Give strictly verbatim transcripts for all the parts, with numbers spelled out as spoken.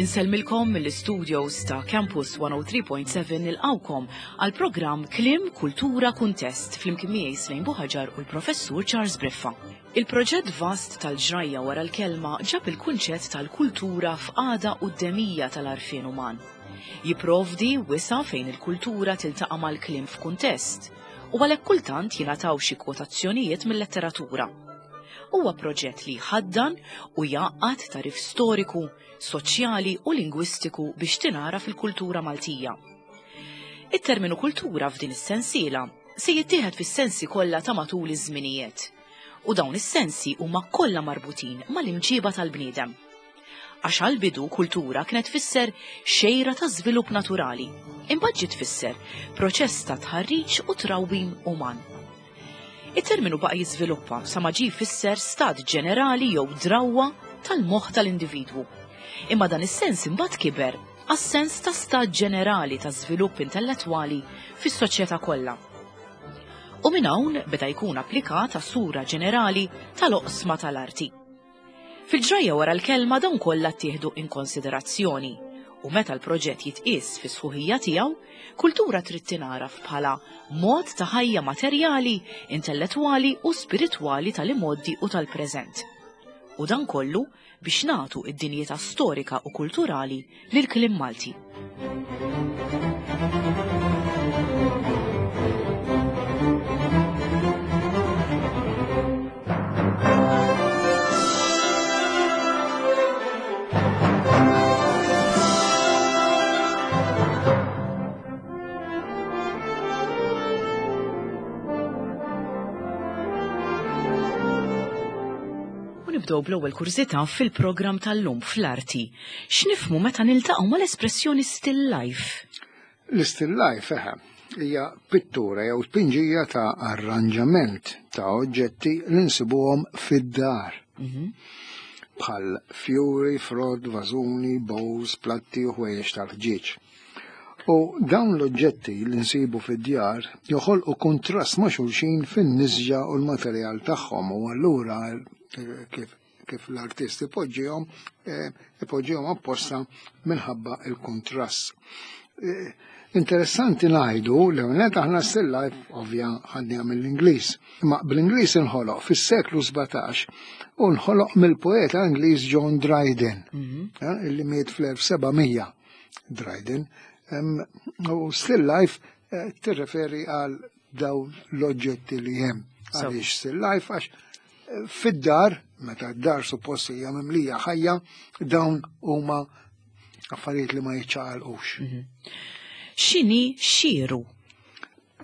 Insellmilkom mill-studios ta' Campus one oh three point seven, nilqgħukom għal programm Kliem, Kultura, Kuntest flimkien miegħi Slejn Buħaġar u l-Professur Charles Briffa. Il-proġett vast tal-ġrajja wara l-kelma ġab il-kunċett tal-kultura f'qagħda quddemija tal-għarfien uman. Jiprovdi wisa' fejn il-kultura tiltaqa' mal-kliem f'kuntest u għalhekk kultant jingħataw xi kwotazzjonijiet mill-letteratura. Huwa proġett li jħaddan u jgħaqqad tagħrif storiku, soċjali u lingwistiku biex tingħaraf il-kultura Maltija. It-terminu kultura f'din is-sensiela se jittieħed fis-sensi kollha ta' matul iż-żminijiet. U dawn is-sensi huma kollha marbutin mal-imġiba tal-bniedem. Għax għal-bidu kultura kienet tfisser xejra ta' żvilupp naturali, imbagħad ġiet tfisser proċess ta' tħarriġ u trawwim uman. It-terminu baqa' jiżviluppa sa ma ġie jfisser stat ġenerali jew drawwa tal-moħħ tal-individwu. Imma dan is-sens imbagħad kiber għas-sens ta' stat ġenerali ta' żvilupp intellettwali fis-soċjetà kollha. U minn hawn beda jkun applikat għas-sura ġenerali tal-oqsma tal-arti. Fil-ġrajja wara l-kelma dawn kollha ttieħdu in konsiderazzjoni u meta l-proġett jitqies fi sħuħija tiegħu, kultura trid tingħaraf bħala mod ta' ħajja materjali, intellettwali u spiritwali tal-imgħoddi u tal-preżent. U dan kollu biex nagħtu id-dinjità storika u kulturali lil kliem Malti. U nibdew bl-ewwel kurżità fil-programm tal-lum fl-arti. X'nifhmu meta niltaqgħu mal-espressjoni still life? L-still life, eħe, hija pittura jew tpinġija ta' arranġament ta' oġġetti li nsibuhom fid-dar. Bħal fjuri, frott, vażuni, bowls, platti u ħwejjeġ tal-ħġieġ. U dawn l-oġġetti li nsibu fid-djar joħolqu kontrast ma' xulxin fin-nisġa u l-materjal tagħhom u allura eh, kif kif l-artist ipoġġihom, eh, ipoġġihom apposta minħabba il-kontrast. Eh, Interessanti ngħidu li għonet aħna still life ovvja ħadniha mill-Ingliż. Imma bl-Ingliż inħoloq fis-seklu sbatax u nħoloq mill-poeta Ingliż John Dryden, eh, illi miet fl-elf seba' mija Dryden. Em, U still life eh, tirreferi għal dawn l-oġġetti li hemm. So. Għaliex still life? Għax eh, fid-dar, meta d-dar suppost hija mimlija ħajja, dawn huma affarijiet li ma jiċċaqalqux. X'inhi xieru?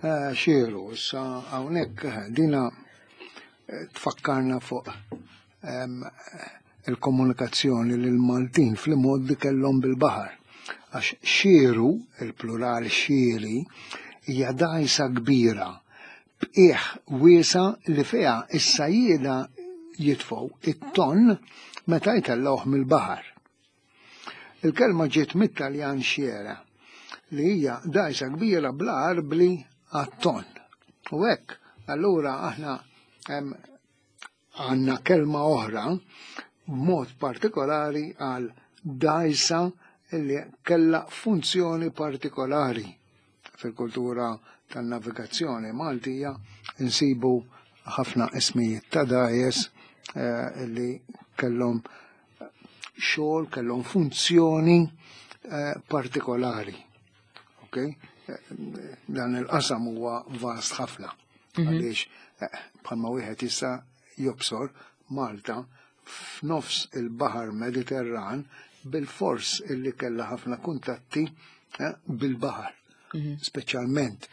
Eh, Xieru, issa hawnhekk eh, dina eh, tfakkarna fuq em, il-komunikazzjoni li l-Maltin fl-imgħoddi kellhom bil-baħar. Għax xieru, il-plural xieri, hija dgħajsa kbira b'qiegħ wiesa' li fiha is-sajjieda jitfgħu it-ton meta jtellgħuh mill-baħar. Il-kelma ġiet mit-Taljan xiera, li hija dgħajsa kbira bla arbli għat-ton. U hekk, allura aħna em, għandna kelma oħra b'mod partikolari għal dgħajsa li kella funzjoni partikolari fil-kultura tan-navigazzjoni Maltija. Insibu ħafna ismijiet ta' dgħajjes eh, li kellhom xogħol, kellhom funzjoni eh, partikolari. Okay? Eh, Dan il-qasam huwa vast ħafna. Għaliex eh, bħalma wieħed issa jobsor, Malta f'nofs il-Baħar Mediterran bil-fors illi kella ħafna kuntatti eh, bil-baħar. Speċjalment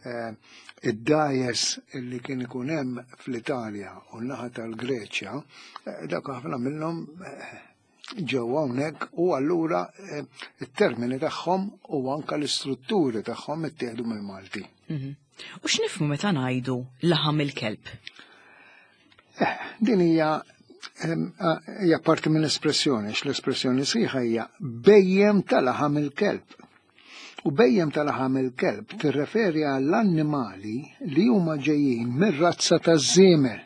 eh, id-dgħajjes illi kien ikun hemm fl-Italja u n-naħa tal-Greċja, eh, dak ħafna minnhom eh, ġew hawnhekk u allura eh, it-termini tagħhom u anka l-istrutturi tagħhom ittieħdu mill-Malti. Mhm. U x'nifhmu meta ngħidu laħam il-kelb? Eh, din hija em, eh, hija parti minn espressjoni, għax l-espressjoni sħiħa hija bhejjem ta' laħam il-kelb. U bhejjem ta' laħam il-kelb tirreferi għall-annimali li huma ġejjin mir-razza taż-żiemel.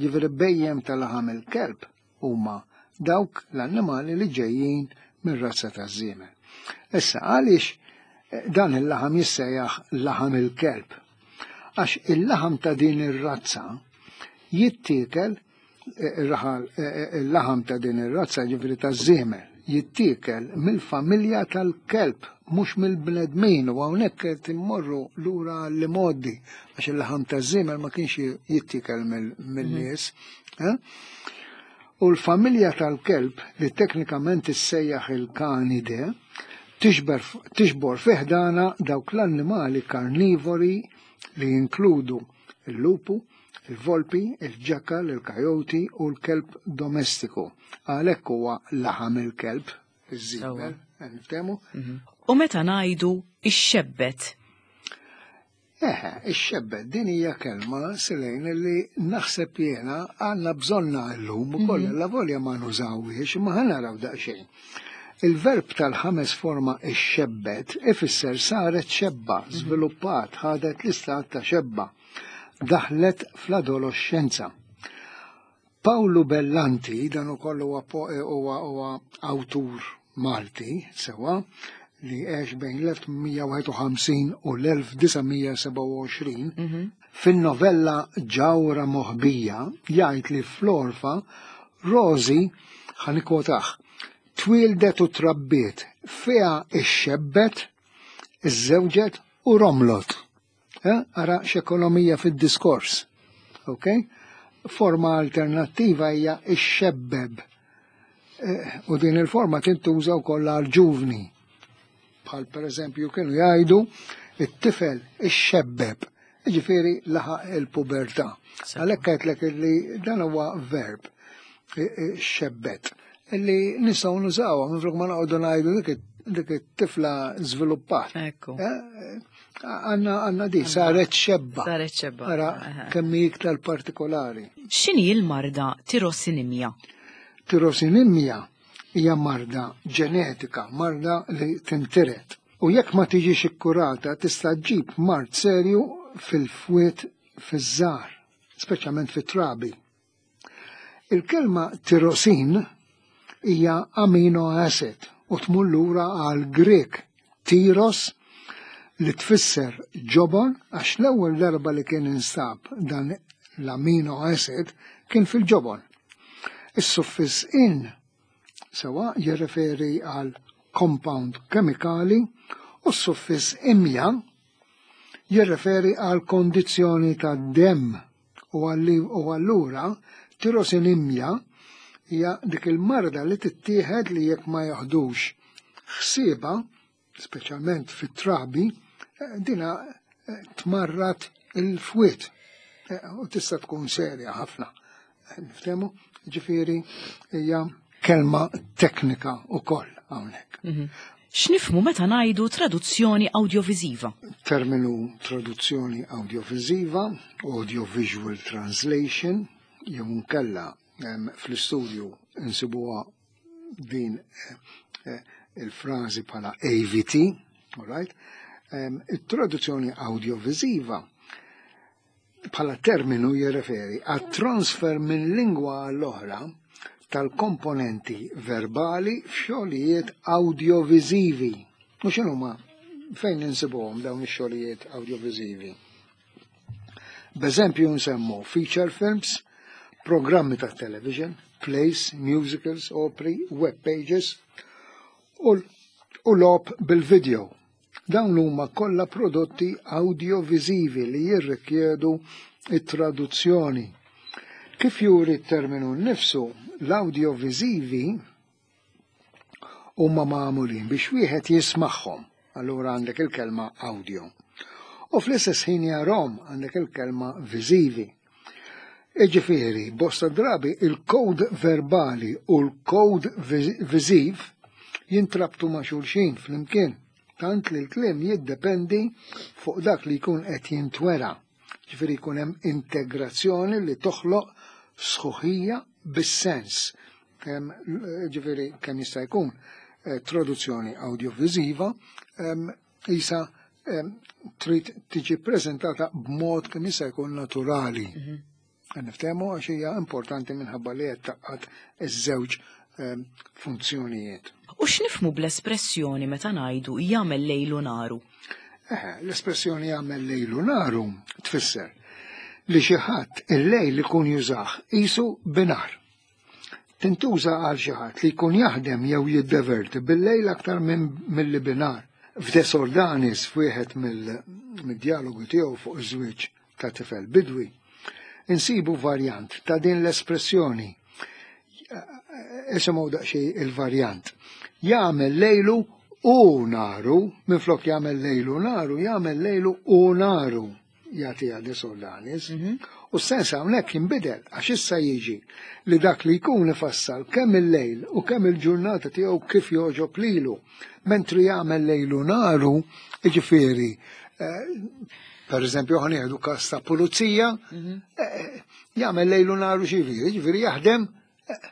Ġifieri bhejjem ta' laħam il-kelb huma dawk l-annimali li ġejjin mir-razza taż-żiemel. Issa għaliex dan il-laħam jissejjaħ laħam il-kelb? Għax il-laħam ta' din ir-razza jittiekel, il-laħam ta' din ir-razza ġifieri taż-żiemel jittiekel mill-familja tal-kelb, mhux mill-bnedmin, u hawnhekk qed immorru lura l-modi għax il-laħam taż-żiemel ma kienx jittiekel mill-nies. U l-familja tal-kelb li teknikament issejjaħ il-kanide tiġbor fiħdana dawk l-annimali karnivori li jinkludu il-lupu, il-volpi, il-ġakal, il-kajoti u l-kelb domestiku. Għalhekk huwa laħam il-kelb, iż-żiemel, niftehmu. U meta ngħidu ix-xebbet? Eħe, ix-xebbet din hija kelma Silejn li naħseb jiena għandna bżonna llum ukoll la volja ma nużawhiex, imma ħa naraw daqsxejn. Il-verb tal-ħames forma ix-xebbet ifisser saret xebba, żviluppat, ħadet l-istat ta' xebba, daħlet fl-adolescenza. Paolo Bellanti, dan ukoll huwa huwa awtur Malti, sewa, li għex bejn l-elf tmien wieħed u ħamsin u l-elf disa' mija sebgħa u għoxrin, fin-novella Ġawra Moħbija jgħid li fl-Orfa Rosi, ħanikwotaħ, twildet u trabbiet, fiha ix-xebbet, iż-żewġet u romlot. Eh, ara x'ekonomija fid-diskors. Ok? Forma alternattiva hija ix-xebbeb. Eh, u din il-forma tintuża wkoll għal ġuvni. Bħal per eżempju kienu jgħidu it-tifel ix-xebbeb, jiġifieri laħaq il-pubertà. Għalhekk għedtlek li dan huwa verb xebbet illi nistgħu nużawha minflok ma noqogħdu ngħidu dik dik it-tifla żviluppat. Ekku. Għanna għanna di, saret xebba. Saret xebba. Ara kemm hi iktar partikolari. X'inhi l-marda tirosinimja? Tirosinimja hija marda ġenetika, marda li tintiret. U jekk ma tiġix ikkurata tista' ġġib mard serju fil-fwiet fiż-żgħar, speċjalment fit-trabi. Il-kelma tirosin hija amino acid u tmur lura għal Grek tiros li tfisser ġobon, għax l-ewwel darba li kien instab dan l-amino acid kien fil-ġobon. Is-suffiss in sewa jirreferi għal compound kemikali u s-suffiss imja jirreferi għal kondizzjoni ta' dem u allura tirosinimja hija dik il-marda li tittieħed li jekk ma jaħdux ħsieba, speċjalment fit-trabi, dina tmarrat il-fwiet u tista' tkun serja ħafna. Niftehmu? Ġifieri hija kelma teknika wkoll hawnhekk. X'nifhmu meta ngħidu traduzzjoni awdjoviżiva? Terminu traduzzjoni awdjoviżiva, audiovisual translation, jew nkella fl-istudju insibuha din il-frażi bħala A V T, all right? Il-traduzzjoni awdjoviżiva bħala terminu jirreferi għat transfer minn lingwa għall-oħra tal-komponenti verbali f'xogħlijiet awdjoviżivi. U x'inhuma fejn insibuhom dawn ix-xogħlijiet awdjoviżivi? B'eżempju nsemmu feature films, programmi ta' television, plays, musicals, operi, web pages u u logħob bil-video. Dawn huma kollha prodotti awdjoviżivi li jirrikjedu it-traduzzjoni. Kif juri t-terminu nnifsu, l-awdjoviżivi huma magħmulin biex wieħed jismagħhom, allura għandek il-kelma audio. U fl-istess ħin jarahom għandek il-kelma viżivi. Iġifieri, bosta drabi il-kod verbali u l-kod viżiv jintrabtu ma' xulxin flimkien, tant li l-kliem jiddependi fuq dak li jkun qed jintwera. Ġifieri jkun hemm integrazzjoni li toħloq sħuħija bis-sens. Ġifieri kemm jista' jkun, eh, traduzzjoni awdjoviżiva, em, isa, em, trid tiġi ppreżentata b'mod kemm jista' jkun naturali. Mhm. Niftehmu għax hija importanti minħabba li qed taqgħad iż-żewġ, eh, funzjonijiet. U x'nifhmu bl-espressjoni meta ngħidu jagħmel lejlu naru? Eh, l-espressjoni jagħmel lejlu naru tfisser li xi ħadd il-lejl ikun jużah qisu binar. Tintuża għal xi ħadd li jkun jaħdem jew jiddeverti bil-lejl aktar minn milli binar. F'De Soldanis, f'wieħed mill-dialogu tiegħu fuq iż-żwieġ ta' tifel bidwi, insibu varjant ta' din l-espressjoni. Isimgħu daqsxejn il-varjant. Jagħmel lejlu u naru, minflok jagħmel lejlu naru, jagħmel lejlu u naru, jagħtiha De Soldanis. U s-sens hawnhekk jinbidel għax issa jiġi li dak li jkun ifassal kemm il-lejl u kemm il-ġurnata tiegħu kif jogħġob lilu, mentri jagħmel lejlu naru, jiġifieri, eh, per eżempju ħa nieħdu każ ta' pulizija, eh, jagħmel lejlu naru x'jiġifieri, jiġifieri jaħdem eh,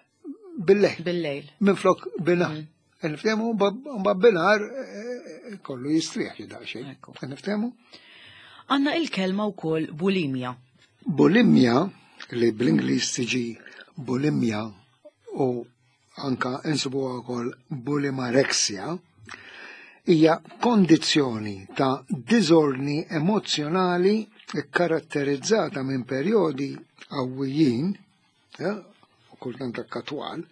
bil-lejl. Bil-lejl. Minflok binar. Niftehmu mbagħad binar eh, kollu jistrieħ xi daqsxejn. Ekku. Niftehmu? Għandna il-kelma wkoll bulimja. Bulimja, li bl-Ingliż tiġi bulimja u anka insibuha wkoll bulimarexia, hija kondizzjoni ta' diżordni emozjonali kkaratterizzata minn perjodi qawwijin, ja, u kultant anka twal,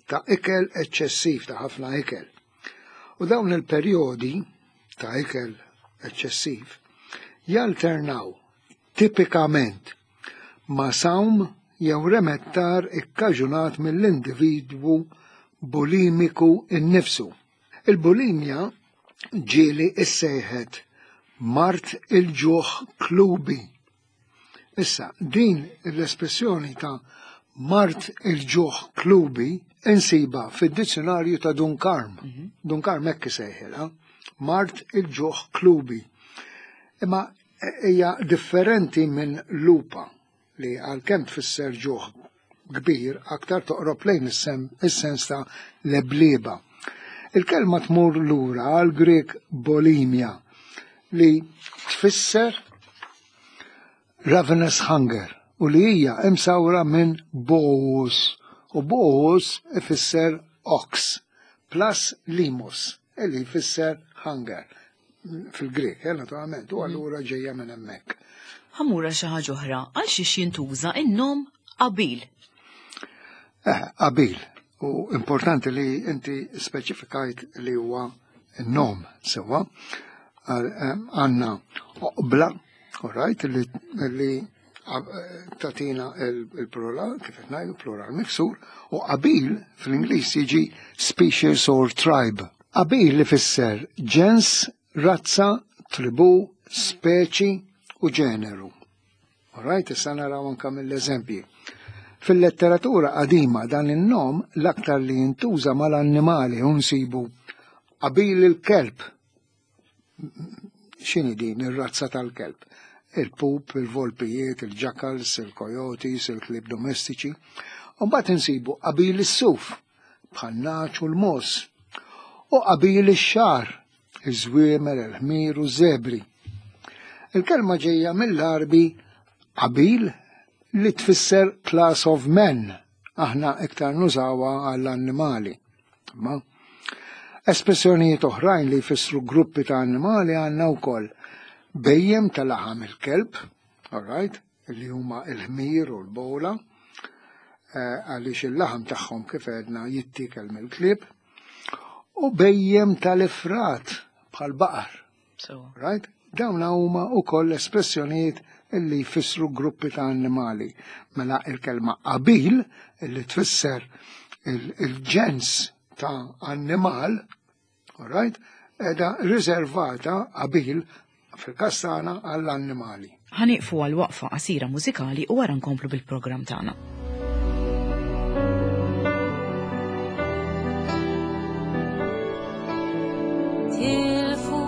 ta' ikel eċċessiv, ta' ħafna ikel. U dawn il-perjodi ta' ikel eċċessiv jalternaw tipikament ma' sawm jew remettar ikkaġunat mill-individwu bulimiku innifsu. Il-bulimja ġieli issejħet mard il-ġuħ klubi. Issa, din l-espressjoni ta' mard il-ġuħ klubi insiba fid-dizzjonarju ta' Dun Karm. Dun Karm hekk isejħilha, mard il-ġuħ klubi. Imma hija differenti minn lupa li għalkemm tfisser ġuħ kbir aktar toqrob lejn is-sem-, is-sens ta' leblieba. Il-kelma tmur lura għal Grek bulimia li tfisser ravenous hunger u li hija imsawra minn bous, u bous ifisser ox plus limos li jfisser hunger fil-Grek, eh, naturalment, u allura ġejja minn hemmhekk. Ħamura xi ħaġa oħra, għal xiex jintuża in-nom Qabil. Eh, Qabil. U importanti li inti speċifikajt li huwa n-nom sewwa. Għandna oqbla, all right, li, li tatina il-plural, kif qed ngħidu, plural miksur, u qabil fl-Ingliż jiġi species or tribe. Qabil li fisser ġens, razza, tribu, speċi u ġeneru. All right, issa naraw anka mill-eżempji. Fil-letteratura qadima dan in-nom l-aktar li jintuża mal-annimali u nsibu qabil il-kelb. X'inhi din ir-razza tal-kelb? Il-pup, il-volpijiet, il-jackals, il-coyotes, il-klieb domestiċi. U mbagħad insibu qabil is-suf, bħan-nagħaġ u l-mos. U qabil ix-xagħar, iż-żwiemel, il-ħmir u z-zebri. Il-kelma ġejja mill-Għarbi qabil li tfisser class of men. Aħna iktar nużawha għall-annimali. Ma espressjonijiet oħrajn li jfissru gruppi ta' annimali għandna wkoll bejjem tal-laħam il-kelb, all right, li huma il-ħmir u l-bola, eh, għaliex il-laħam tagħhom kif għedna jittikel mill-klieb, u bejjem tal-ifrat bħal baqar. So. Right? Dawn huma wkoll espressjonijiet illi jfissru gruppi ta' annimali. Mela il-kelma qabil illi tfisser il-ġens ta' annimal, all right, edha riservata qabil fil-każ tagħna għall-annimali. Ħa nieqfu għal waqfa qasira mużikali u wara nkomplu bil-programm tagħna. Tilfu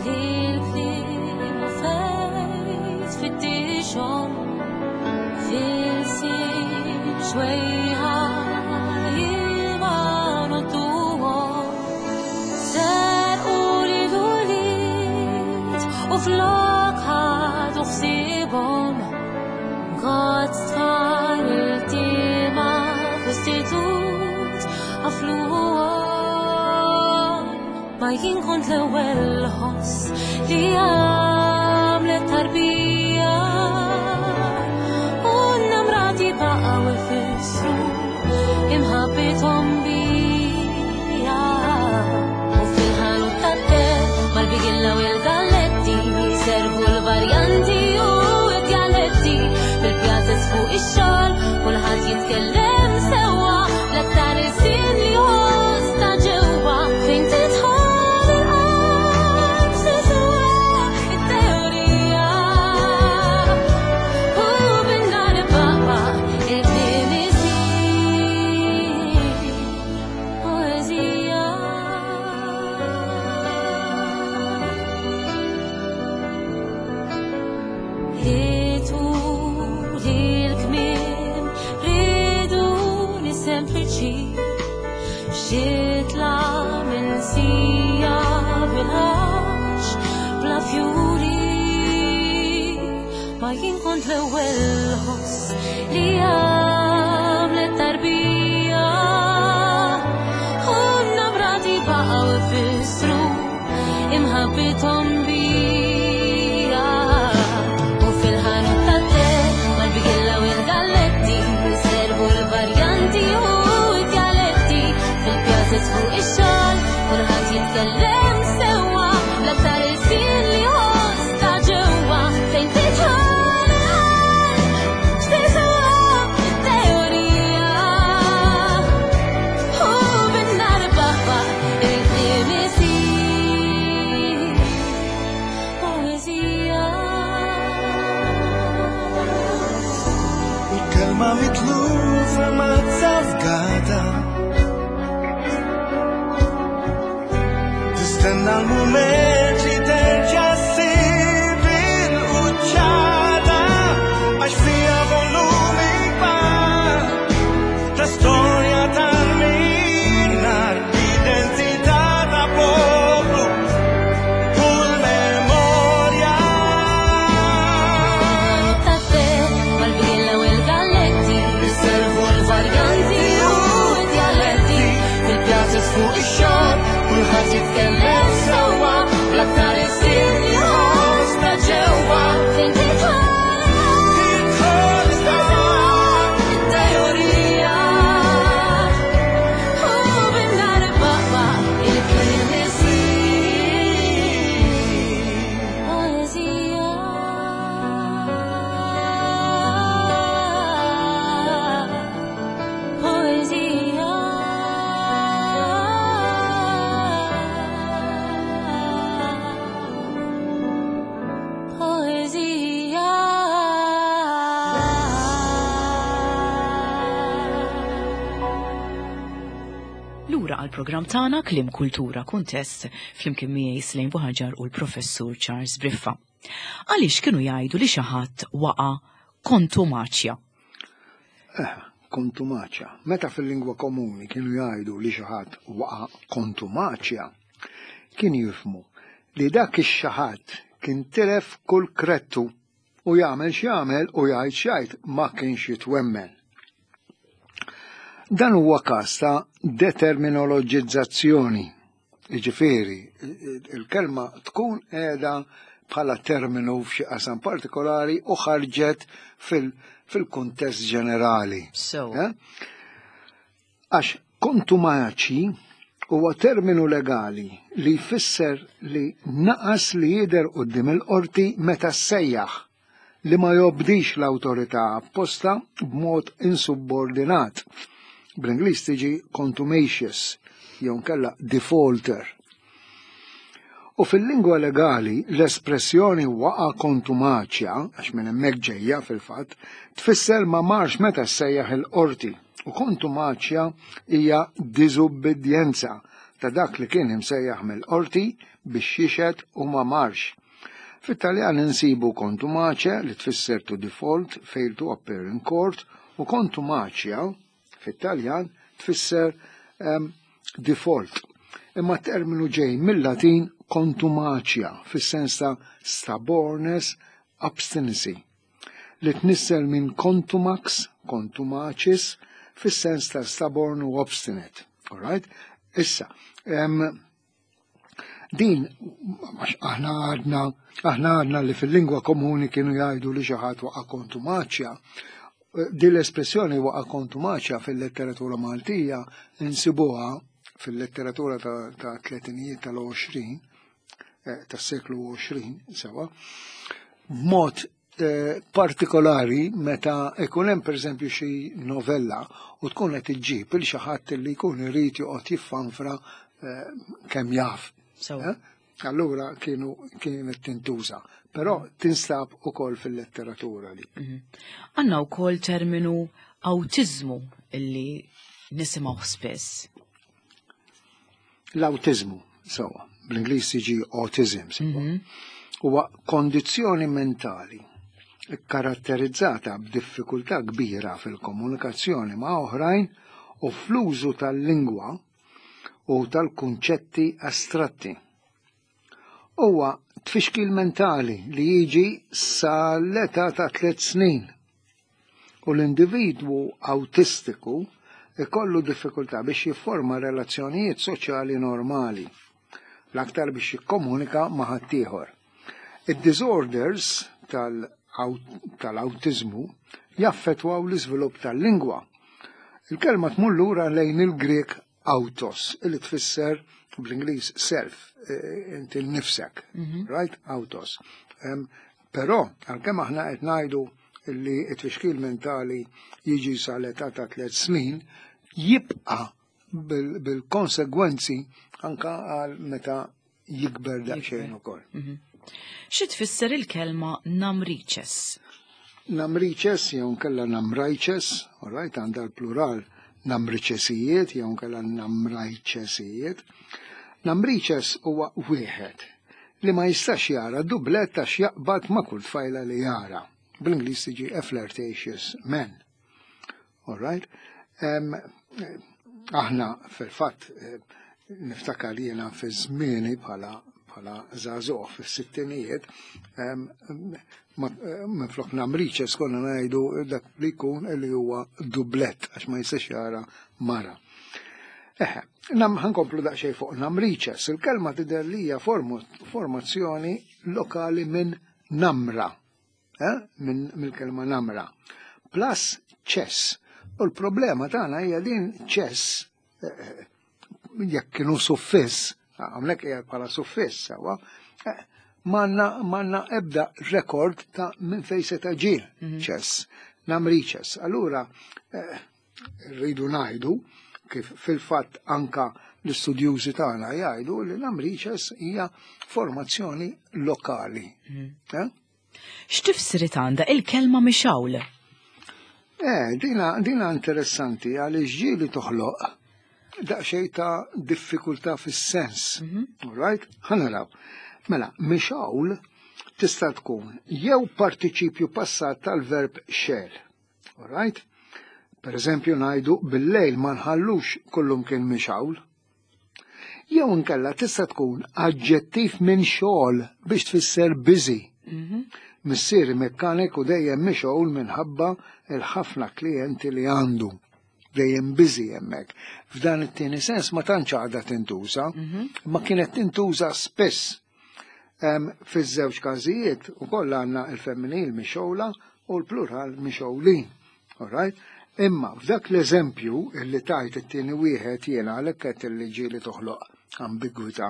lil-kliem u fejt fittixhom fil-sin xwejħa ilma nodduhom. Serqu lil ulied u flok ħadu ħsiebhom. Għad tfal iltiema f'istitut kont l-ewwel ħoss li għamlet tarbija u n-namrati baqgħu ifissru imħabbithom bija. U fil-ħanut tat-te mal-bigilla u l-galletti servu l-varjanti u d-dialetti fil-pjazez fuq ix-xogħol kulħadd jitkellem sewwa l-aktar ilsien li jħoss ta' ġewwa fejn tidħol il-qalb se tiswa it-teorija u bin-nar baqa' il-kliem isir poeżija. Ridu li l-kmiem riduni sempliċi xitla minsija bil-ħax bla fjuri ma jien kont l-ewwel ħoss li għamlet tarbija u n-namrati baqgħu ifissru imħabbithom bija. U fil-ħanut tat-te mal-bigilla u l-galletti servu l-varjanti u d-dialetti fil-pjazez fuq ix-xogħol kulħadd jitkellem sewwa l-aktar ilsien li jħoss ta' ġewwa fejn tidħol il-qalb x'tiswa it-teorija u bin-nar baqa' il-kliem isir poeżija. Il-kelma mitlufa ma tafgata Tistenna l-mument li terġa' ssib il-quċċata għax fiha volumi kbar ta' storja tal-minar, identità ta' poplu u l-memorja. Tat-te mal-bigilla u l-galletti Iservu l-varjanti u d-dialetti fil-pjazez fuq ix-xogħol kulħadd jitkellem sewwa l-aktar ilsien li jħoss ta' ġewwa fejn tidħol Tidħol it-teorija u bin-nar baqa' il-kliem isir poeżija. Poeżija. Poeżija. Lura għal programm tagħna Kliem Kultura Kuntest flimkien miegħi Slejn Buħaġar u l-Professur Charles Briffa. Għaliex kienu jgħidu li xi ħadd waqa' kontumaċja? Eh, kontumaċja. Meta fil-lingwa komuni kienu jgħidu li xi ħadd waqa' kontumaċja, kien jifhmu li dak ix-xi ħadd kien tilef kull krettu u jagħmel x'jagħmel u jgħid x'jgħid ma kienx jitwemmen. Dan huwa każ ta' determinoloġizzazzjoni. Jiġifieri, il-kelma tkun qiegħda bħala terminu f'xi qasam partikolari u ħarġet fil- fil-kuntest ġenerali. So, Eh? Għax kontumaċi huwa terminu legali li jfisser li naqas li jidher quddiem il-qorti meta ssejjaħ li ma jobdix l-awtorità apposta b'mod insubordinat. Bl-Ingliż tiġi contumacious jew nkella defaulter. U fil-lingwa legali l-espressjoni waqa kontumaċja, għax minn hemmhekk ġejja fil-fatt, tfisser ma marx meta ssejjaħ il-qorti. U kontumaċja hija diżubbidjenza ta' dak li kien imsejjaħ mill-qorti biex jixhed u ma marx. Fit-Taljan insibu contumace li tfisser to default, fail to appear in court, u contumacia fit-Taljan tfisser um, default. Imma terminu ġej mill-Latin contumacia fis-sens ta' stubbornness, obstinacy, li tnissel minn contumax, contumacis, fis-sens ta' stubborn u obstinate. All right? Issa, um, Din, għax aħna għadna, aħna għadna li fil-lingwa komuni kienu jgħidu li xi ħadd waqa' kontumaċja. Din l-espressjoni waqa' kontumaċja fil-letteratura Maltija insibuha fil-letteratura ta', ta tletinijiet tal-għoxrin, eh, tas-seklu għoxrin, sewa, b'mod eh, partikolari meta ikun hemm pereżempju xi novella u tkun qed iġġib il xi ħadd li jkun irid joqgħod jiffanfra eh, kemm jaf. Sewa. Eh? Allura kienu kienet tintuża, però tinstab ukoll fil-letteratura li. Għandna wkoll terminu awtiżmu illi nisimgħu spiss. L-awtiżmu, sewa, bl-Ingliż jiġi autism, sewa. Huwa kondizzjoni mentali karatterizzata b'diffikultà kbira fil-komunikazzjoni ma' oħrajn u fl-użu tal-lingwa u tal-kunċetti astratti. Huwa tfixkil mentali li jiġi sal-età ta' tliet snin u l-individwu autistiku ikollu diffikultà biex jifforma relazzjonijiet soċjali normali, l-aktar biex jikkomunika ma' ħaddieħor. Id-disorders tal-awtiżmu jaffettwaw l-iżvilupp tal-lingwa. Il-kelma tmur lura lejn il-Grek autos, illi tfisser bl-Ingliż self, eh, inti nnifsek, right? Autos. Em, Però, għalkemm aħna qed ngħidu li t-tfixkil mentali jiġi sal-età ta' tliet snin, jibqa' bil- bil-konsegwenzi anka għal meta jikber daqsxejn ukoll. Xi tfisser il-kelma namriċes? Namriċes jew nkella namrajċes, all right, għandha l-plural namriċesijiet jew nkella namrajċesijiet. Namriċes huwa wieħed li ma jistax jara dublett għax jaqbad ma' kull tfajla li jara. Bl-Ingliż tiġi a flirtatious man. All right? Um, aħna fil-fatt eh, niftakar jiena fi żmieni bħala bħala żagħżugħ fis-sittinijiet, em, ma- eh, minflok namriċes konna ngħidu dak li jkun li huwa dublett għax ma jistax jara mara. Eħe, nam ħa nkomplu daqsxejn fuq namriċes. Il-kelma tidher li hija formu- formazzjoni lokali minn namra, eh? minn mill-kelma namra. Plus ċess. U l-problema tagħna hija din ċess, eh, jekk kienu suffiss, għamlek hija bħala suffiss, sewa, eh, manna manna ebda rekord ta' minn fejn se ġie ċess, namriċes. Allura, eh, rridu ngħidu kif fil-fatt anka l-istudjużi tagħna jgħidu li namriċes hija formazzjoni lokali. Eh? X'tifsirit għandha il-kelma mixawl? Eh, dina, dina interessanti għaliex ġieli toħloq daqsxejn ta' diffikultà fis-sens. All right? Ħa naraw. Mela, mixawl tista' tkun jew partiċipju passat tal-verb xegħel. All right? Per eżempju, ngħidu bil-lejl ma nħallux kullum kien mixawl. Jew inkella tista' tkun aġġettiv minn xogħol biex tfisser busy. Missieri mekkaniku dejjem mixgħul minħabba il-ħafna klijenti li għandu. Dejjem busy hemmhekk. F'dan it-tieni sens ma tantx għadha tintuża, ma kienet tintuża spiss. Em, Fiż-żewġ każijiet ukoll għandna il-femminil mixgħula u l-plural mixgħulin. All right? Imma f'dak l-eżempju illi tajt it-tieni wieħed jiena għalhekk qed li ġieli toħloq ambigwità,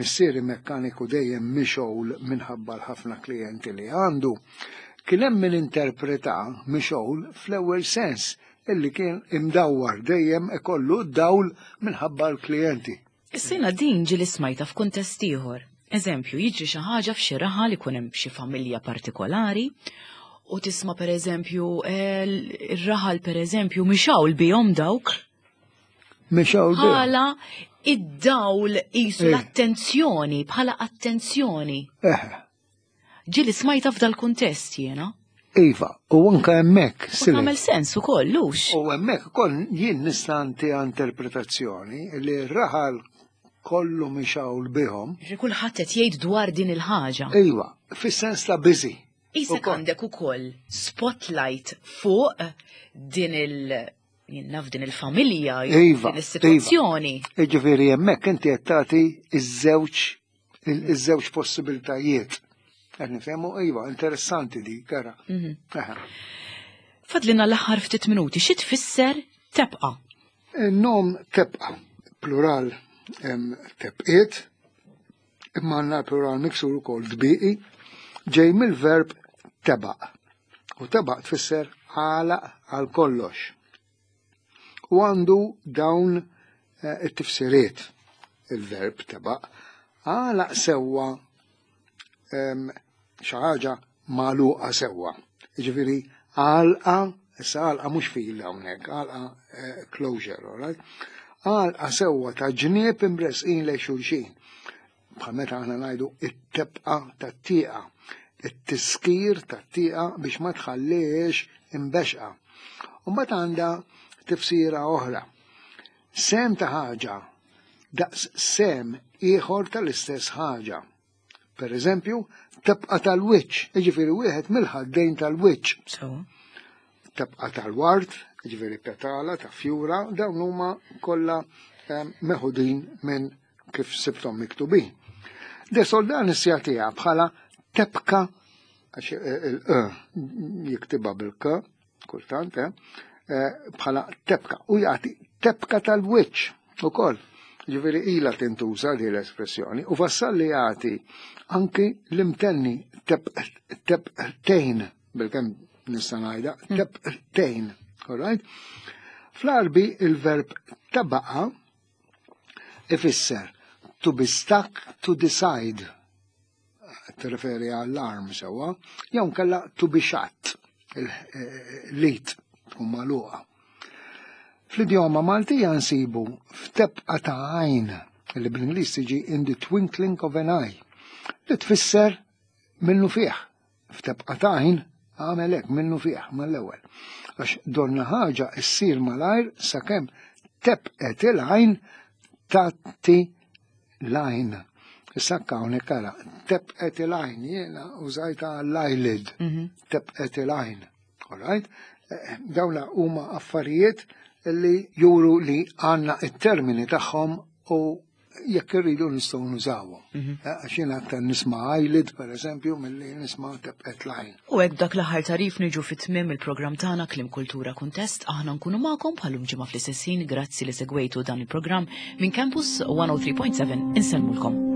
missieri mekkaniku dejjem mixgħul minħabba l-ħafna klijenti li għandu, kien hemm min interpreta mixgħul fl-ewwel sens illi kien imdawwar dejjem ikollu d-dawl minħabba l-klijenti. Is-sena din ġieli smajta f'kuntest ieħor. Eżempju, jiġri xi ħaġa f'xi raħal ikun hemm xi familja partikolari u tisma' pereżempju eh, ir-raħal pereżempju mixawl bihom dawk. Mixgħul bihom. Bħala id-dawl qisu Eh. l-attenzjoni, bħala attenzjoni. Eħe, Ġieli smajta f'dal kuntest jiena. Iva, u anka hemmhekk U Silent. tagħmel sens ukoll, lux. U hemmhekk ukoll jien nista' nti interpretazzjoni li r-raħal kollu mixgħul bihom. Ġi kulħadd qed jgħid dwar din il-ħaġa. Iva, fis-sens ta' busy. Isek Ukoll. għandek ukoll spotlight fuq din il Jien f'din il-familja, jew Iva, din is-sitwazzjoni. Jiġifieri hemmhekk inti qed tagħti iż-żewġ iż-żewġ possibiltajiet. Qed nifhemu, iva, interessanti di, kara. Mhm. Aha. Fadlina l-aħħar ftit minuti, xi tfisser tebqa? Il-nom tebqa, plural em, tebqiet, imma għandna plural miksur ukoll tbiqi, ġej mill-verb tebaq. U tebaq tfisser għalaq għal kollox. U għandu dawn eh, it-tifsiriet il-verb tebaq. Għalaq sewwa em, xi ħaġa magħluqa sewwa. Jiġifieri għalqa, issa għalqa mhux fil hawnhekk, għalqa eh, closure, all right? Għalqa sewwa ta' ġnieb imresqin lejn xulxin. Bħal meta aħna ngħidu it-tebqa tat-tieqa, it-tiskir tat-tieqa biex ma tħalliex imbexqa. U mbagħad għandha tifsira oħra. Sehem ta' ħaġa daqs sehem ieħor tal-istess ħaġa. Per eżempju, tebqa tal-wiċċ, jiġifieri wieħed mill-ħaddejn tal-wiċċ. So. Tebqa tal-ward, jiġifieri petala ta' fjura, dawn huma kollha em, meħudin minn kif sibthom miktubin. De Soldanis jagħtiha bħala tebka, għax il-e jiktibha bil-k, kultant, eh, eh, bħala tebka, u jagħti tebka tal-wiċċ ukoll. Ġifieri ilha tintuża di l-espressjoni u Vassalli jagħti anki l-imtenni tebqtejn, bil-kemm nista' ngħidha, tebqtejn, all right? Fl-Arbi il-verb tabaqa ifisser to be stuck to the side, tirreferi għall-arm sewwa, jew kella to be shut, il-lit tkun magħluqa. Fl-idjoma Maltija nsibu f'tebqa ta' għajn, li bl-Ingliż tiġi in the twinkling of an eye, li tfisser minnu fih. F'tebqa ta' għajn għamel hekk minnu fih mal-ewwel. Għax donna ħaġa issir malajr sakemm tebqet il-għajn tatti l-għajn. Issa hawnhekk ara, tebqet il-għajn, jiena użajta l-eyelid, tebqet il-għajn. All right? Eh, Dawna huma affarijiet li juru li għandna it-termini tagħhom u jekk irridu nistgħu nużawhom. Eh, Għax jiena aktar nisma' eyelid, per eżempju, milli nisma' tebqet l-għajn. U hekk dak l-aħħar tarif niġu fit-tmiem il-programm tagħna Kliem Kultura Kuntest, aħna nkunu magħkom bħalum ġimgħa fl-istess ħin, grazzi li segwejtu dan il-programm minn Campus one oh three point seven insellmulkom.